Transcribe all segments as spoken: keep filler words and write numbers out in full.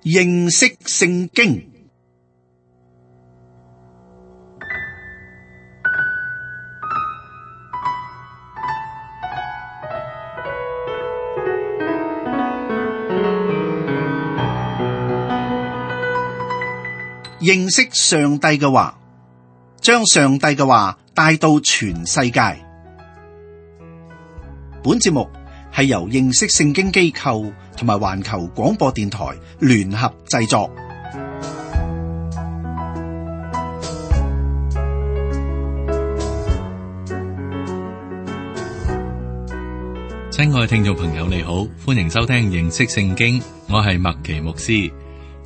認識聖經。認識上帝嘅話，將上帝嘅話帶到全世界。本節目係由認識聖經機構同埋環球廣播電台聯合製作。親愛嘅聽眾朋友，你好，歡迎收聽認識聖經，我係麥奇牧師。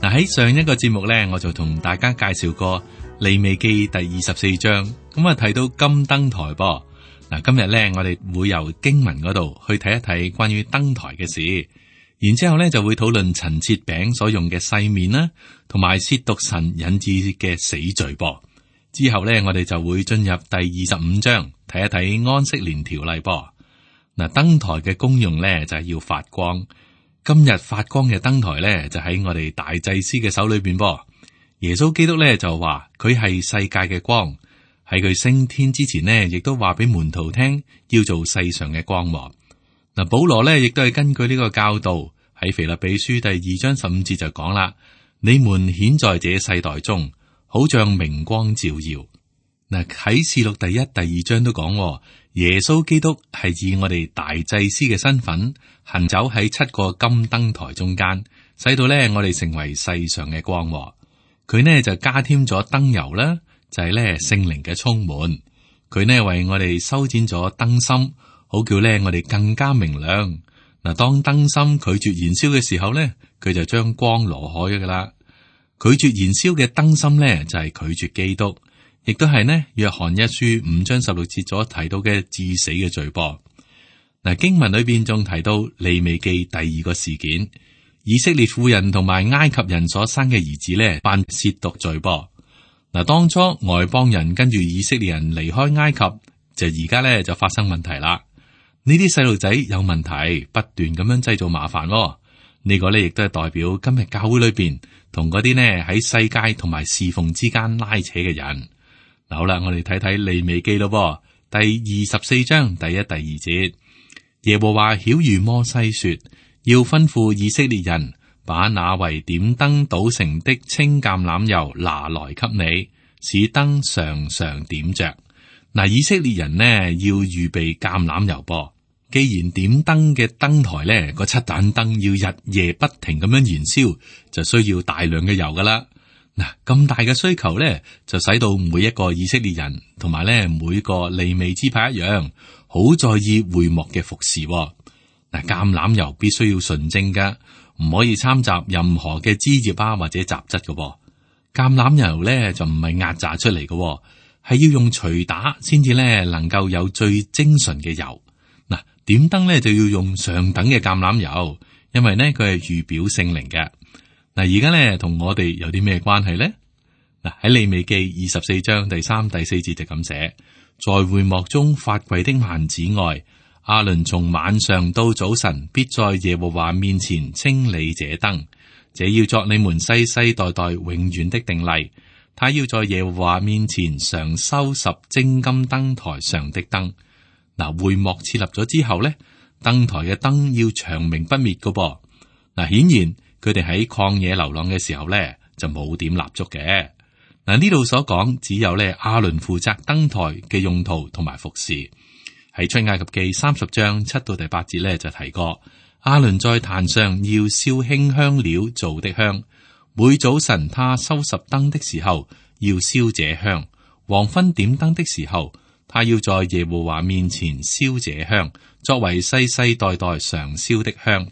嗱，喺上一個節目咧，我就同大家介紹過利未記第二十四章，咁啊提到金燈台噃。嗱，今日咧我哋會由經文嗰度去睇一睇關於燈台嘅事，然之後咧就會討論陳設餅所用嘅細麵啦，同埋褻瀆神引致嘅死罪噃。之後咧我哋就會進入第二十五章，睇一睇安息年條例噃。嗱，燈台嘅功用咧就係要發光。今日發光嘅燈台咧，就喺我哋大祭司嘅手裏邊噃。耶穌基督咧就話佢係世界嘅光，喺佢升天之前呢，亦都話俾門徒聽要做世上嘅光芒。嗱，保羅咧亦都係根據呢個教導喺腓立比書第二章十五節就講啦：你們顯在這世代中，好像明光照耀。嗱，啟示錄第一、第二章都講耶穌基督係以我哋大祭司嘅身份行走喺七個金燈台中間，使到咧我哋成為世上嘅光。佢呢就加添咗燈油啦，就係咧聖靈嘅充滿。佢呢為我哋修剪咗燈芯，好叫咧我哋更加明亮。嗱，當燈芯拒絕燃燒嘅時候咧，佢就將光挪開噶啦。拒絕燃燒嘅燈芯咧就係拒絕基督。亦都係呢，約翰一書五章十六節所提到嘅致死嘅罪噃。嗱，經文裏邊仲提到利未記第二個事件，以色列婦人同埋埃及人所生嘅兒子呢，犯褻瀆罪噃。嗱，當初外邦人跟住以色列人離開埃及，就而家呢就發生問題啦。呢啲細路仔有問題，不斷咁樣製造麻煩咯。呢個呢亦都係代表今日教會裏邊同嗰啲呢喺世界同埋侍奉之間拉扯嘅人。好啦，我哋睇睇利未記咯，第二十四章第一、第二節，耶和華曉諭摩西說，要吩咐以色列人把那為點燈搗成的清橄欖油拿來給你，使燈常常點着。嗱，以色列人呢要預備橄欖油噃。既然點燈嘅燈台呢個七盞燈要日夜不停咁樣燃燒，就需要大量嘅油噶啦。嗱，咁大嘅需求咧，就使到每一個以色列人同埋咧每個利未支派一樣，好在意會幕嘅服侍。嗱，橄欖油必須要純正嘅，唔可以摻雜任何嘅枝葉啊或者雜質嘅。橄欖油咧就唔係壓榨出嚟嘅，係要用錘打先至咧能夠有最精純嘅油。嗱，點燈咧就要用上等嘅橄欖油，因為呢佢係預表聖靈嘅。嗱，而家咧同我哋有啲咩關係咧？嗱，喺利未記二十四章第三、第四節就咁寫：在會幕中發櫃的幔子外，亞倫從晚上到早晨，必在耶和華面前清理這燈。這要作你們世世代代永遠的定例。他要在耶和華面前常收拾精金燈台上的燈。嗱，會幕設立咗之後咧，燈台嘅燈要長明不滅噶噃。嗱，顯然。佢哋喺曠野流浪嘅時候咧，就冇點蠟燭嘅。嗱，呢度所講只有咧亞倫負責燈台嘅用途同埋服侍。喺出埃及記三十章七到第八節咧就提過，亞倫在壇上要燒馨香料做的香，每早晨他收拾燈的時候要燒這香，黃昏點燈的時候他要在耶和華面前燒這香，作為世世代代常燒的香。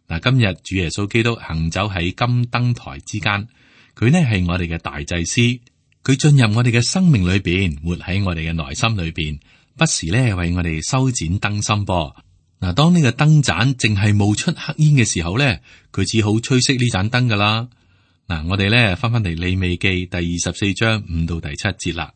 嗱，今日主耶穌基督行走喺金燈台之間，佢呢係我哋嘅大祭司，佢進入我哋嘅生命裏邊，活喺我哋嘅內心裏邊，不時咧為我哋修剪燈芯噃。嗱，當呢個燈盞淨係冒出黑煙嘅時候咧，佢只好吹熄呢盞燈噶啦。嗱，我哋咧翻翻嚟利未記第二十四章五到第七節啦。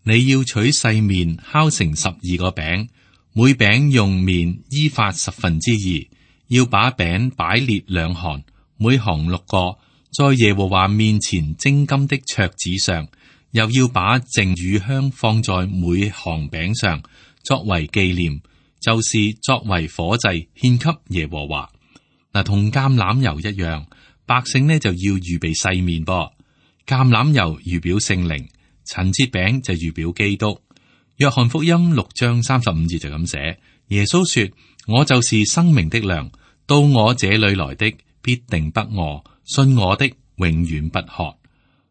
你要取細麵烤成十二個餅，每餅用麵依法十分之二。要把餅擺列兩行，每行六個，在耶和華面前精金的桌子上，又要把淨乳香放在每行餅上，作為紀念，就是作為火祭獻給耶和華。嗱，同橄欖油一樣，百姓呢就要預備細麵噃。橄欖油預表聖靈，陳設餅就預表基督。約翰福音六章三十五節就咁寫：耶穌說，我就是生命的糧，到我這裏來的必定不餓，信我的永遠不渴。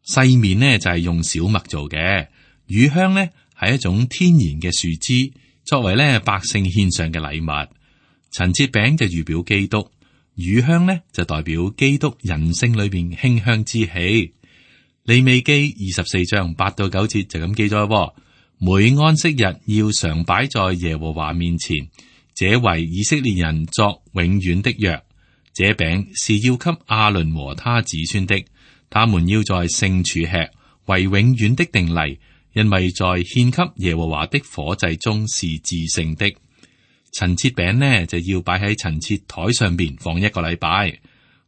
細麵呢就係用小麥做嘅，乳香呢係一種天然嘅樹枝，作為呢百姓獻上嘅禮物。陳設餅就預表基督，乳香呢就代表基督人性裏邊馨香之氣。利未記二十四章八到九節就咁記載：每安息日要常擺在耶和華面前，這為以色列人作永遠的約。這餅是要給亞倫和他子孫的，他們要在聖處吃，為永遠的定例，因為在獻給耶和華的火祭中是至聖的。陳設餅呢就要擺喺陳設台上邊放一個禮拜，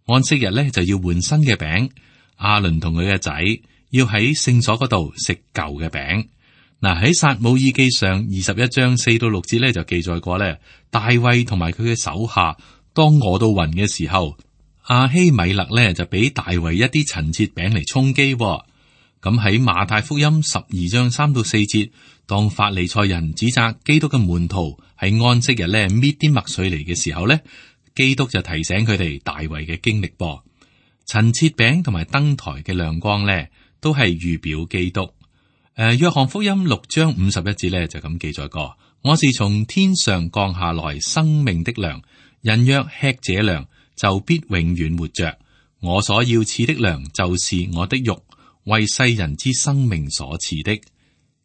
安息日呢就要換新嘅餅。亞倫同佢嘅仔要喺聖所嗰度食舊嘅餅。嗱，喺撒母耳記上二十一章四到六節咧就記載過咧，大衛同埋佢嘅手下當餓到暈嘅時候，亞希米勒咧就俾大衛一啲陳設餅嚟充飢。咁喺馬太福音十二章三到四節，當法利賽人指責基督嘅門徒喺安息日咧搣啲麥穗嚟嘅時候咧，基督就提醒佢哋大衛嘅經歷噃。陳設餅同埋燈台嘅亮光咧，都係預表基督。誒、呃，約翰福音六章五十一節咧就咁記載過：我是從天上降下來生命的糧，人若吃這糧，就必永遠活着。我所要賜的糧，就是我的肉，為世人之生命所賜的。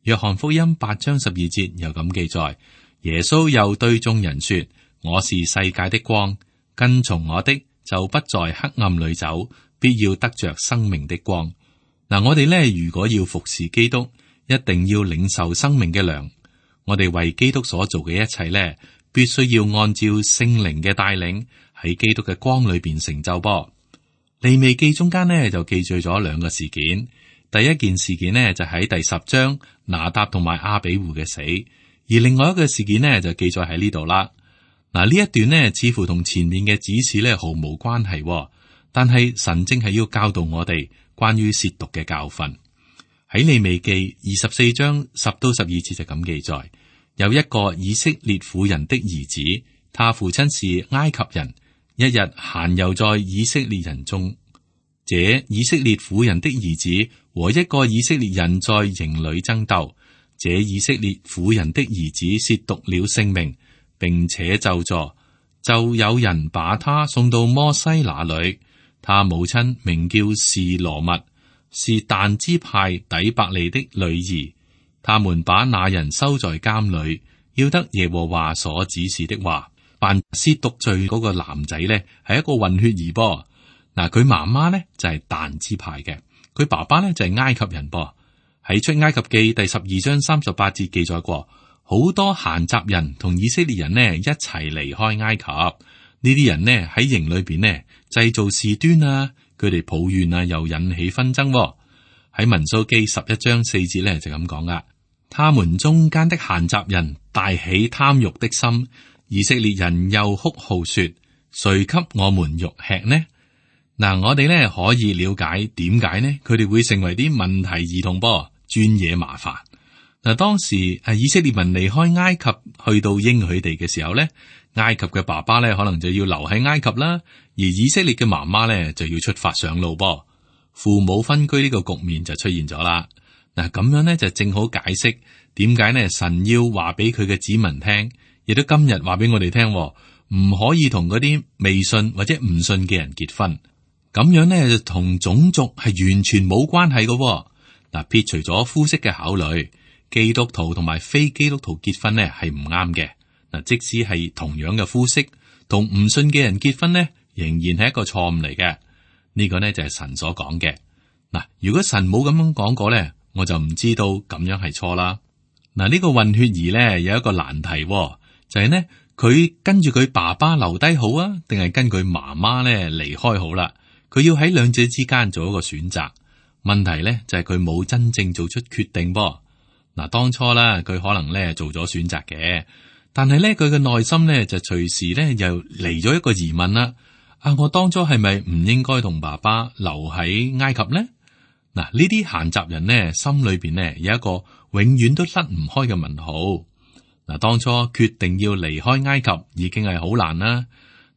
約翰福音八章十二節又咁記載：耶穌又對眾人說：我是世界的光，跟從我的就不在黑暗裏走，必要得着生命的光。嗱，我哋咧如果要服侍基督，一定要領受生命嘅糧。我哋為基督所做嘅一切咧，必須要按照聖靈嘅帶領，喺基督嘅光裏邊成就噃。利未記中間呢，就記載咗兩個事件。第一件事件呢，就喺第十章拿答同埋亞比戶嘅死，而另外一個事件呢，就記載喺呢度啦。嗱，呢一段呢，似乎同前面嘅指示咧毫無關係，但係神正係要教導我哋關於褻瀆嘅教訓。喺利未記二十四章十到十二節就咁記載：有一個以色列婦人的兒子，他父親是埃及人，一日閒遊在以色列人中，這以色列婦人的兒子和一個以色列人在營裏爭鬥，這以色列婦人的兒子褻瀆了聖命，並且咒詛，就有人把他送到摩西那裏。他母親名叫示羅密，是但支派底伯利的女兒。他們把那人收在監裏，要得耶和華所指示的話。犯褻瀆罪嗰個男仔呢，係一個混血兒噃。嗱，佢媽媽呢就係但支派嘅，佢爸爸呢就係埃及人噃。喺出埃及記第十二章三十八節記載過，好多閒雜人同以色列人呢一齊離開埃及。呢啲人呢喺營裏邊呢製造事端啊，佢哋抱怨啊，又引起紛爭。喺民數記十一章四節呢就咁講噶，他們中間的閒雜人大起貪欲的心，以色列人又哭號說：誰給我們肉吃呢？嗱，我哋呢可以了解點解呢？佢哋會成為啲問題兒童噃，專惹麻煩。嗱，當時誒以色列民離開埃及去到應許地嘅時候呢，埃及嘅爸爸呢可能就要留喺埃及啦，而以色列嘅媽媽呢就要出發上路噃，父母分居呢個局面就出現咗啦。嗱，咁樣呢就正好解釋點解呢神要話俾佢嘅子民聽，亦都今日話俾我哋聽，唔可以同嗰啲未信或者唔信嘅人結婚。咁樣呢就同種族係完全冇關係嘅。嗱，撇除咗膚色嘅考慮，基督徒同埋非基督徒結婚呢係唔啱嘅。嗱，即使係同樣嘅膚色，同唔信嘅人結婚呢，仍然係一個錯誤嚟嘅。呢個呢就係神所講嘅。嗱，如果神冇咁樣講過呢，我就唔知道咁樣係錯啦。嗱，呢個混血兒呢有一個難題，就係呢佢跟住佢爸爸留低好啊，定係跟佢媽媽呢離開好啦？佢要喺兩者之間做一個選擇。問題咧就係佢冇真正做出決定噃。嗱，當初啦，佢可能咧做咗選擇嘅，但係咧佢嘅內心咧就隨時咧又嚟咗一個疑問啦。啊，我當初係咪唔應該同爸爸留喺埃及呢？嗱，呢啲閒雜人呢，心裏邊呢有一個永遠都甩唔開嘅問號。嗱，當初決定要離開埃及已經係好難啦，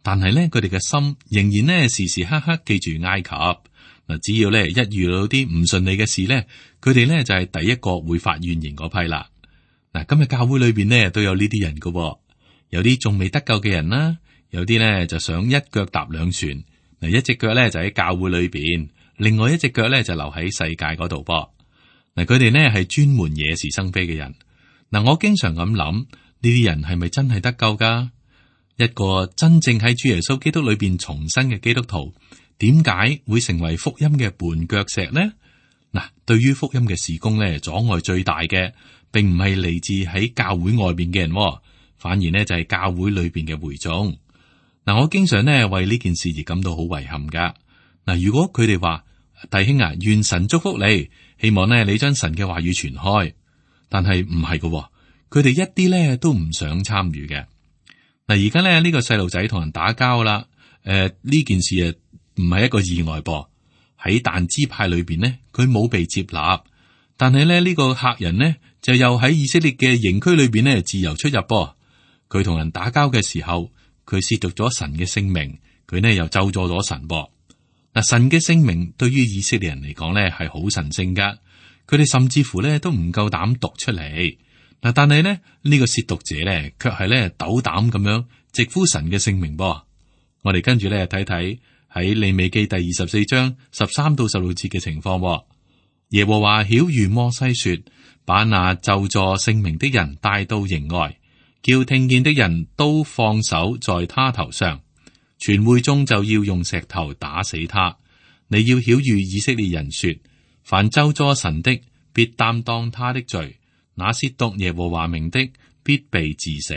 但係咧佢哋嘅心仍然呢時時刻刻記住埃及。嗱，只要咧一遇到啲唔順利嘅事咧，佢哋咧就係第一個會發怨言嗰批啦。嗱，今日教會裏邊呢都有呢啲人噶，有啲仲未得救嘅人啦，有啲咧就想一腳踏兩船。嗱，一隻腳咧就喺教會裏邊，另外一隻腳咧就留喺世界嗰度噃。嗱，佢哋呢係專門惹是生非嘅人。嗱，我經常咁諗，呢啲人係咪真係得救噶？一個真正喺主耶穌基督裏邊重生嘅基督徒，點解會成為福音嘅絆腳石呢？嗱，對於福音嘅事工咧，阻礙最大嘅，並唔係嚟自喺教會外邊嘅人，反而呢就係教會裏邊嘅會眾。嗱，我經常呢為呢件事而感到好遺憾噶。嗱，如果佢哋話，弟兄啊，願神祝福你，希望呢你將神嘅話語傳開，但係唔係噶，佢哋一啲咧都唔想參與嘅。嗱，而家咧呢個細路仔同人打交啦，誒、呃、呢件事啊唔係一個意外噃。喺但支派裏邊呢，佢冇被接納，但係咧呢個客人呢，就又喺以色列嘅營區裏邊呢自由出入噃。佢同人打交嘅時候，佢褻瀆咗神嘅聖名，佢呢又咒詛咗神噃。嗱，神嘅聖名對於以色列人嚟講咧係好神聖噶，佢哋甚至乎咧都唔夠膽讀出嚟。嗱，但係咧呢個褻瀆者咧卻係咧斗膽咁樣直呼神嘅聖名噃。我哋跟住咧睇睇喺利未記第二十四章十三到十六節嘅情況。耶和華曉諭摩西說：把那咒詛聖名的人帶到營外，叫聽見的人都放手在他頭上。全會中就要用石頭打死他。你要曉諭以色列人說：凡咒詛神的，必擔當他的罪；那褻瀆耶和華名的，必被治死。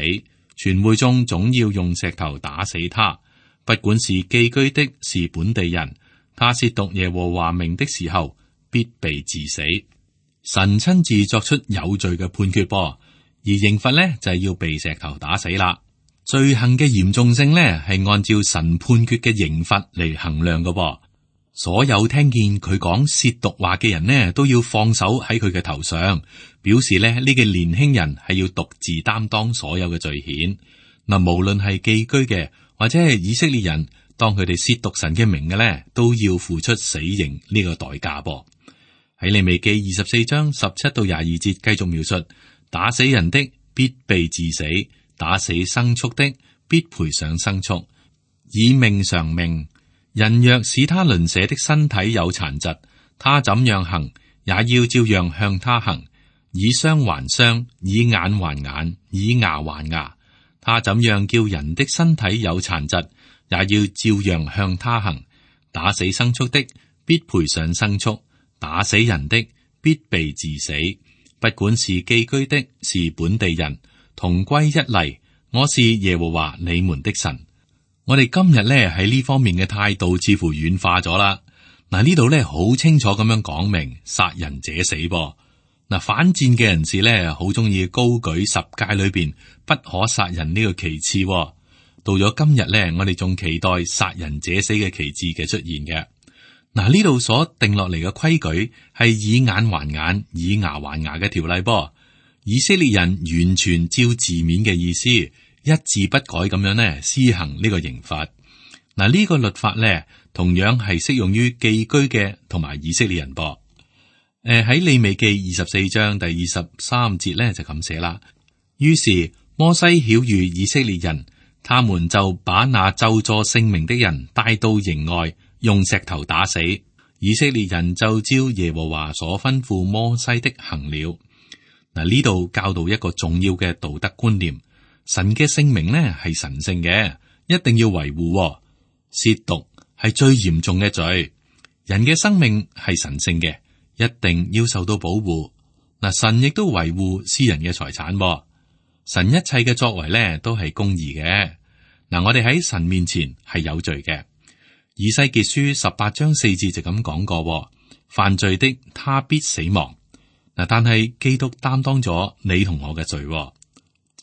全會中總要用石頭打死他。不管是寄居的，是本地人，他褻瀆耶和華名的時候，必被治死。神親自作出有罪嘅判決噃，而刑罰呢，就係要被石頭打死啦。罪行嘅嚴重性呢，係按照神判決嘅刑罰嚟衡量嘅噃。所有聽見佢講褻瀆話嘅人呢，都要放手喺佢嘅頭上，表示咧呢個年輕人係要獨自擔當所有嘅罪愆。嗱，無論係寄居嘅或者係以色列人，當佢哋褻瀆神嘅名嘅咧，都要付出死刑呢個代價噃。喺利未記二十四章十七到廿二節繼續描述：打死人的必被治死。打死牲畜的，必賠上牲畜，以命償命。人若使他鄰舍的身體有殘疾，他怎樣行，也要照樣向他行，以傷還傷，以眼還眼，以牙還牙。他怎樣叫人的身體有殘疾，也要照樣向他行。打死牲畜的，必賠上牲畜；打死人的，必被治死。不管是寄居的，是本地人，同歸一例。我是耶和華你們的神。我哋今日咧喺呢方面嘅態度似乎軟化咗啦。嗱，呢度咧好清楚咁樣講明殺人者死噃。嗱，反戰嘅人士咧好中意高舉十誡裏邊不可殺人呢個旗幟。到咗今日咧，我哋仲期待殺人者死嘅旗幟嘅出現嘅。嗱，呢度所定落嚟嘅規矩係以眼還眼，以牙還牙嘅條例噃。以色列人完全照字面嘅意思，一字不改咁樣呢施行呢個刑罰。嗱，呢個律法咧同樣係適用於寄居嘅同埋以色列人噃。誒，喺利未記二十四章第二十三節咧就咁寫啦。於是摩西曉諭以色列人，他們就把那咒詛聖名的人帶到營外，用石頭打死。以色列人就照耶和華所吩咐摩西的行了。嗱，呢度教導一個重要嘅道德觀念，神嘅聖名呢係神聖嘅，一定要維護。褻瀆係最嚴重嘅罪，人嘅生命係神聖嘅，一定要受到保護。嗱，神亦都維護私人嘅財產，神一切嘅作為呢都係公義嘅。嗱，我哋喺神面前係有罪嘅，以西結書十八章四節就咁講過，犯罪的他必死亡。嗱，但係基督擔當咗你同我嘅罪，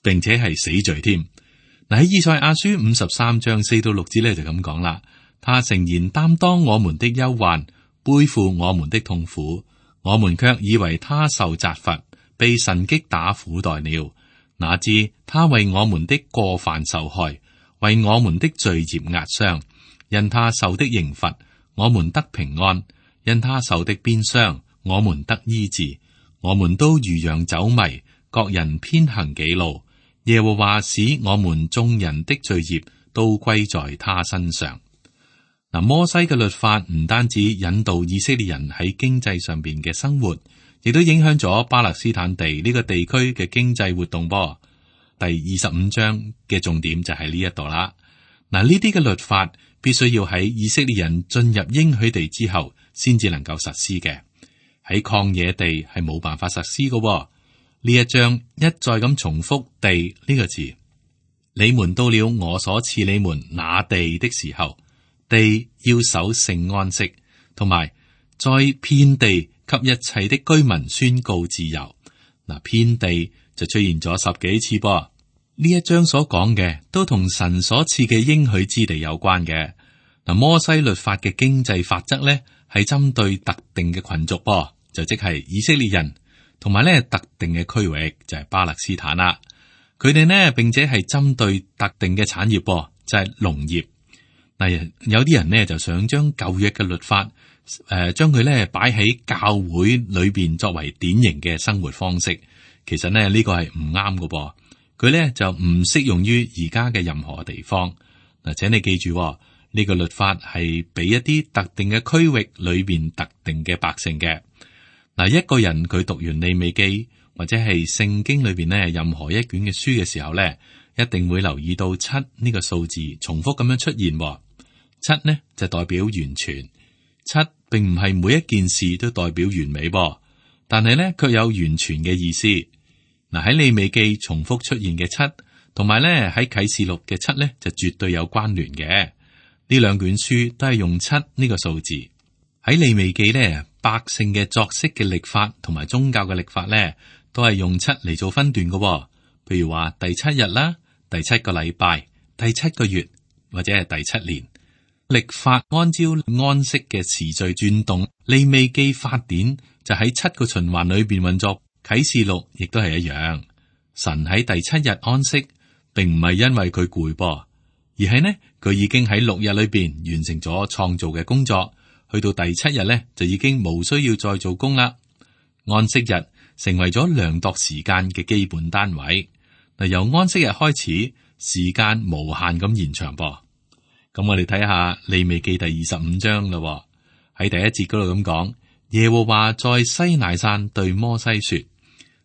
並且係死罪添。嗱，喺以賽亞書五十三章四到六節咧就咁講啦，他誠然擔當我們的憂患，背負我們的痛苦，我們卻以為他受責罰，被神擊打苦待了。哪知他為我們的過犯受害，為我們的罪孽壓傷。因他受的刑罰，我們得平安；因他受的鞭傷，我們得醫治。我們都如羊走迷，各人偏行己路。耶和華使我們眾人的罪孽都歸在他身上。嗱，摩西嘅律法唔單止引導以色列人喺經濟上邊嘅生活，亦都影響咗巴勒斯坦地呢個地區嘅經濟活動噃。第二十五章嘅重點就係呢一度啦。嗱，呢啲嘅律法必須要喺以色列人進入應許地之後，先至能夠實施嘅。喺曠野地係冇辦法實施嘅。呢一章一再咁重複地呢個字，你們到了我所賜你們那地的時候，地要守聖安息，同埋在遍地給一切的居民宣告自由。嗱，遍地就出現咗十幾次噃。呢一章所講嘅都同神所賜嘅應許之地有關嘅。嗱，摩西律法嘅經濟法則咧係針對特定嘅群族噃，就即係以色列人，同埋咧特定嘅區域就係巴勒斯坦啦。佢哋呢並且係針對特定嘅產業噃，就係農業。嗱，有啲人呢就想將舊約嘅律法誒，將佢咧擺喺教會裏邊作為典型嘅生活方式。其實呢呢個係唔啱嘅噃。佢咧就唔適用於而家嘅任何地方。嗱，請你記住呢個律法係俾一啲特定嘅區域裏邊特定嘅百姓嘅。嗱，一個人佢讀完利未記或者係聖經裏邊呢任何一卷嘅書嘅時候咧，一定會留意到七呢個數字重複咁樣出現。七呢就代表完全，七並唔係每一件事都代表完美噃，但係咧卻有完全嘅意思。嗱，喺利未記重複出現嘅七，同埋咧喺啟示錄嘅七咧就絕對有關聯嘅。呢兩卷書都係用七呢個數字。喺利未記咧，百姓嘅作息嘅曆法同埋宗教嘅曆法咧，都係用七嚟做分段嘅。譬如話第七日啦，第七個禮拜，第七個月或者係第七年。曆法按照安息嘅時序轉動，利未記法典就喺七個循環裏邊運作。啟示錄亦都係一樣，神喺第七日安息，並唔係因為佢攰噃，而係呢佢已經喺六日裏邊完成咗創造嘅工作，去到第七日咧就已經冇需要再做工啦。安息日成為咗量度時間嘅基本單位。嗱，由安息日開始，時間無限咁延長噃。咁我哋睇下利未記第二十五章啦，喺第一節嗰度咁講，耶和華在西乃山對摩西說。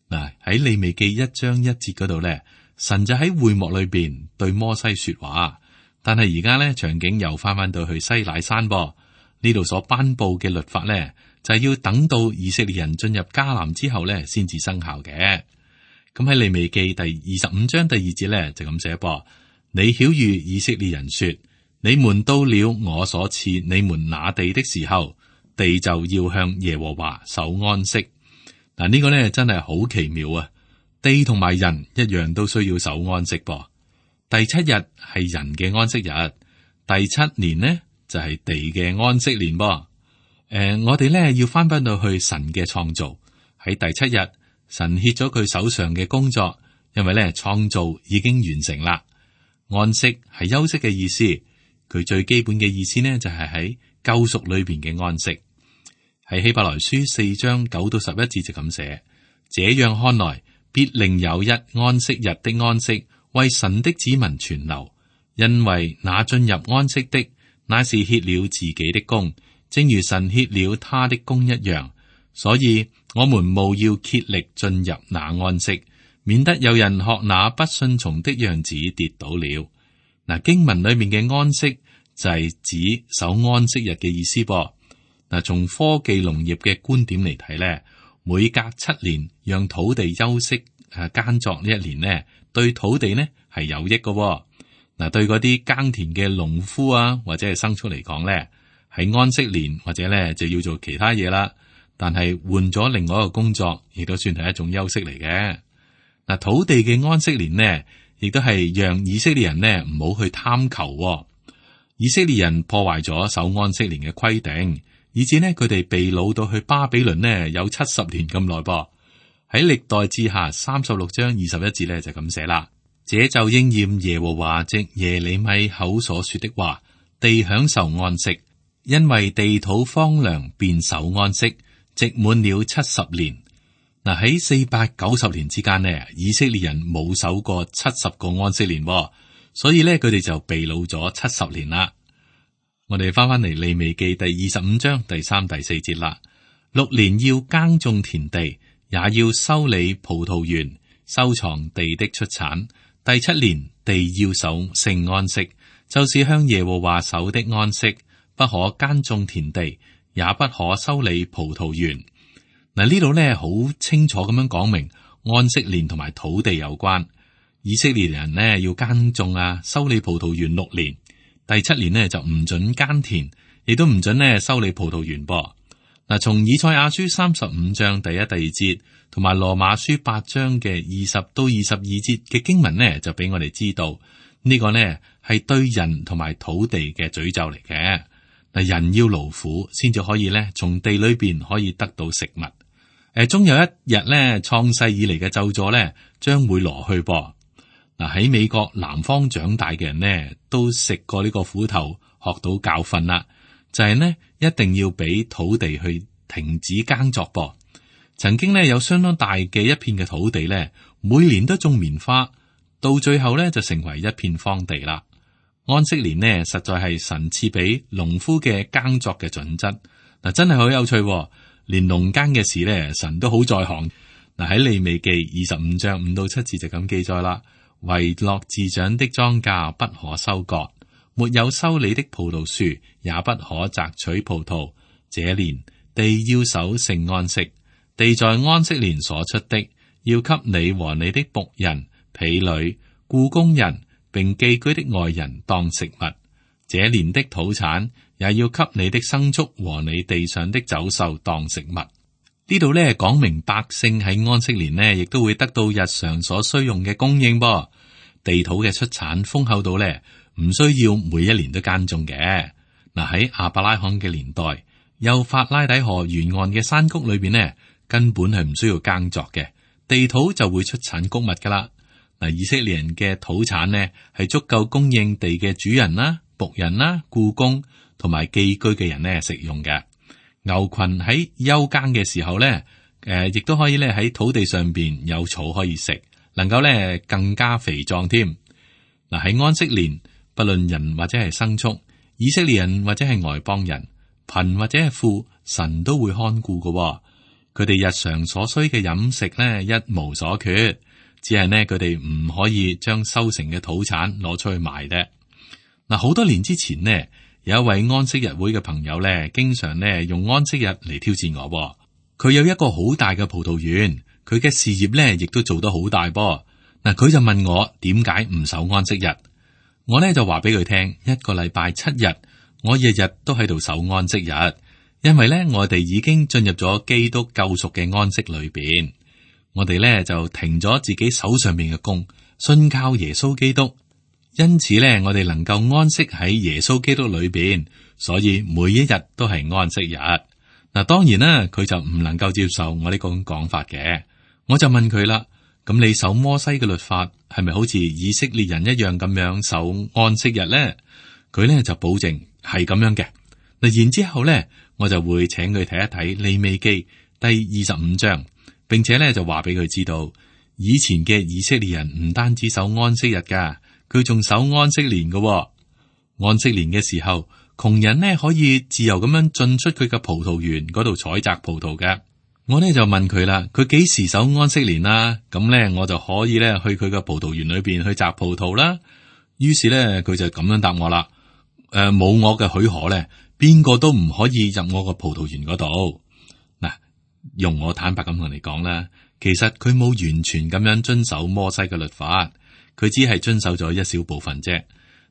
嗱，喺利未記一章一節嗰度咧，神就喺會幕裏邊對摩西說話，但係而家咧場景又翻翻到去西乃山噃。呢度所頒布嘅律法咧，就係要等到以色列人進入迦南之後咧，先至生效嘅。咁喺利未記第二十五章第二節咧就咁寫噃，你曉諭以色列人說，你們到了我所賜你們那地的時候，地就要向耶和華守安息。嗱，呢個咧真係好奇妙啊！地同埋人一樣都需要守安息噃。第七日係人嘅安息日，第七年呢就係地嘅安息年噃。誒、呃，我哋咧要翻返到去神嘅創造，喺第七日，神歇咗佢手上嘅工作，因為咧創造已經完成啦。安息係休息嘅意思，佢最基本嘅意思呢就係喺救贖裏邊嘅安息。喺希伯來書四章九到十一節就咁寫，這樣看來，必另有一安息日的安息，為神的子民存留，因為那進入安息的，乃是歇了自己的工，正如神歇了他的工一樣。所以我們務要竭力進入那安息，免得有人學那不順從的樣子跌倒了。嗱，經文裏面嘅安息就係指守安息日嘅意思噃。嗱，從科技農業嘅觀點嚟睇咧，每隔七年讓土地休息誒耕作呢一年呢，對土地呢係有益嘅。嗱，對嗰啲耕田嘅農夫啊，或者係牲畜嚟講咧，喺安息年或者咧就要做其他嘢啦。但係換咗另外一個工作，亦都算係一種休息嚟嘅。嗱，土地嘅安息年呢，亦都係讓以色列人呢唔好去貪求喎。以色列人破壞咗守安息年嘅規定，以致呢佢哋被擄到去巴比倫呢有七十年咁耐噃。喺歷代志下三十六章二十一節呢就咁寫啦。這就應驗耶和華藉耶利米口所說的話，地享受安息，因為地土荒涼，便守安息，直滿了七十年。嗱，喺四百九十年之間呢，以色列人冇守過七十個安息年，所以呢，佢哋就被擄咗七十年啦。我哋翻翻嚟利未記第二十五章第三、第四節啦。六年要耕種田地，也要修理葡萄園，收藏地的出產。第七年，地要守聖安息，就是向耶和華守的安息，不可耕種田地，也不可修理葡萄園。嗱，呢度咧好清楚咁樣講明安息年同埋土地有關。以色列人呢要耕種啊，修理葡萄園六年，第七年呢就唔准耕田，亦都唔准呢修理葡萄園噃。嗱，從以賽亞書三十五章第一、第二節，同埋羅馬書八章嘅二十到二十二節嘅經文呢，就俾我哋知道呢、這個呢係對人同埋土地嘅詛咒嚟嘅。嗱，人要勞苦先至可以咧，從地裏邊可以得到食物。誒，終有一日咧，創世以嚟嘅咒詛咧，將會挪去噃。嗱，喺美國南方長大嘅人呢，都食過呢個苦頭，學到教訓啦。就係呢，一定要俾土地去停止耕作噃。曾經呢，有相當大嘅一片嘅土地咧，每年都種棉花，到最後咧就成為一片荒地啦。安息年呢，實在係神賜俾農夫嘅耕作嘅準則。嗱，真係好有趣喎，連農耕嘅事咧，神都好在行。嗱，喺利未記二十五章五到七節就咁記載啦。遺落自長的莊稼不可收割，沒有修理的葡萄樹也不可摘取葡萄。這年地要守聖安息，地在安息年所出的，要給你和你的僕人、婢女、雇工人並寄居的外人當食物。這年的土產也要給你的牲畜和你地上的走獸當食物。呢度咧講明百姓喺安息年呢，亦都會得到日常所需用嘅供應噃。地土嘅出產豐厚到咧，唔需要每一年都耕種嘅。嗱，喺亞伯拉罕嘅年代，幼發拉底河沿岸嘅山谷裏邊呢，根本係唔需要耕作嘅，地土就會出產穀物噶啦。嗱，以色列人嘅土產呢，係足夠供應地嘅主人啦、僕人啦、僱工同埋寄居嘅人呢食用嘅。牛群喺休耕嘅時候咧，誒、呃，亦都可以咧喺土地上邊有草可以食，能夠咧更加肥壯添。嗱，喺安息年，不論人或者係牲畜，以色列人或者係外邦人，貧或者係富，神都會看顧嘅。佢哋日常所需嘅飲食咧一無所缺，只係呢，佢哋唔可以將收成嘅土產攞出去賣嘅。嗱，好多年之前呢，有一位安息日會嘅朋友咧，經常咧用安息日嚟挑戰我。佢有一個好大嘅葡萄園，佢嘅事業咧亦都做得好大噃。嗱，佢就問我點解唔守安息日？我咧就話俾佢聽，一個禮拜七日，我日日都喺度守安息日，因為咧我哋已經進入咗基督救贖嘅安息裏邊，我哋咧就停咗自己手上面嘅工，信靠耶穌基督。因此咧，我哋能夠安息喺耶穌基督裏邊，所以每一日都係安息日。嗱，當然啦，佢就唔能夠接受我呢個講法嘅。我就問佢啦，咁你守摩西嘅律法係咪好似以色列人一樣咁樣守安息日咧？佢咧就保證係咁樣嘅。嗱，然之後咧，我就會請佢睇一睇利未記第二十五章，並且咧就話俾佢知道，以前嘅以色列人唔單止守安息日噶。佢仲守安息年嘅。哦，安息年嘅時候，窮人呢可以自由咁樣進出佢嘅葡萄園嗰度採摘葡萄嘅。我呢就問佢啦，佢幾時守安息年啦？咁呢，我就可以咧去佢嘅葡萄園裏邊去摘葡萄啦。於是呢，佢就咁樣答我啦。誒、呃，冇我嘅許可咧，邊個都唔可以入我個葡萄園嗰度。嗱，用我坦白咁同你講啦，其實佢冇完全咁樣遵守摩西嘅律法。佢只係遵守咗一小部分啫。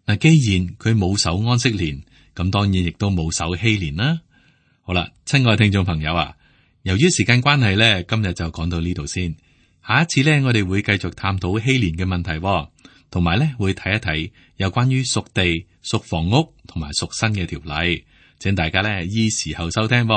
嗱，既然佢冇守安息年，咁當然亦都冇守禧年啦。好啦，親愛聽眾朋友啊，由於時間關係咧，今日就講到呢度先。下一次咧，我哋會繼續探討禧年嘅問題，同埋咧會睇一睇有關於屬地、屬房屋同埋屬身嘅條例，請大家咧依時候收聽。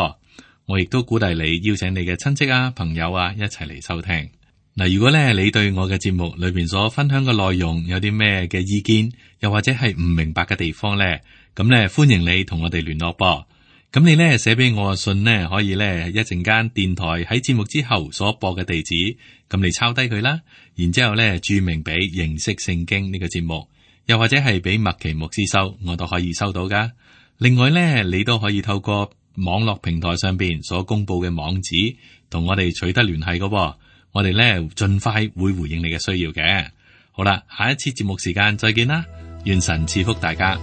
我亦都鼓勵你邀請你嘅親戚啊、朋友啊一齊嚟收聽。嗱，如果咧你對我嘅節目裏邊所分享嘅內容有啲咩嘅意見，又或者係唔明白嘅地方咧，咁咧歡迎你同我哋聯絡噃。咁你咧寫俾我嘅信呢，可以咧一陣間電台喺節目之後所播嘅地址，咁你抄低佢啦，然之後咧注明俾認識聖經呢個節目，又或者係俾麥奇牧師收，我都可以收到噶。另外咧，你都可以透過網絡平台上邊所公布嘅網址，同我哋取得聯繫噶。我哋咧盡快會回應你嘅需要嘅。好啦，下一次節目時間再見啦，願神賜福大家。